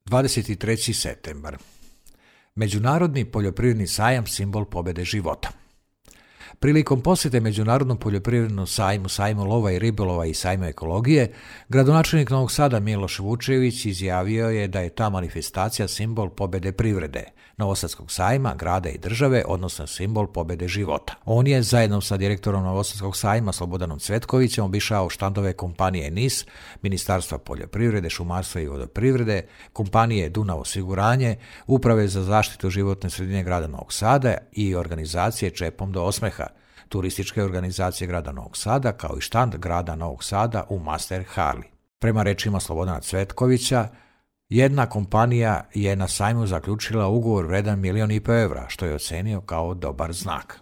23. septembar. Međunarodni poljoprivredni sajam simbol pobjede života. Prilikom posjete Međunarodnom poljoprivrednom sajmu lova i ribolova i sajmu ekologije, gradonačelnik Novog Sada Miloš Vučević izjavio je da je ta manifestacija simbol pobjede privrede, Novosadskog sajma, grada i države, odnosno simbol pobjede života. On je, zajedno sa direktorom Novosadskog sajma Slobodanom Cvetkovićem, obišao štandove kompanije NIS, Ministarstva poljoprivrede, šumarstva i vodoprivrede, kompanije Dunav osiguranje, Uprave za zaštitu životne sredine grada Novog Sada i organizacije Čepom do osmeha, turističke organizacije grada Novog Sada, kao i štand grada Novog Sada u Master Harley. Prema rečima Slobodana Cvetkovića, jedna kompanija je na sajmu zaključila ugovor vredan 1,5 miliona evra, što je ocenio kao dobar znak.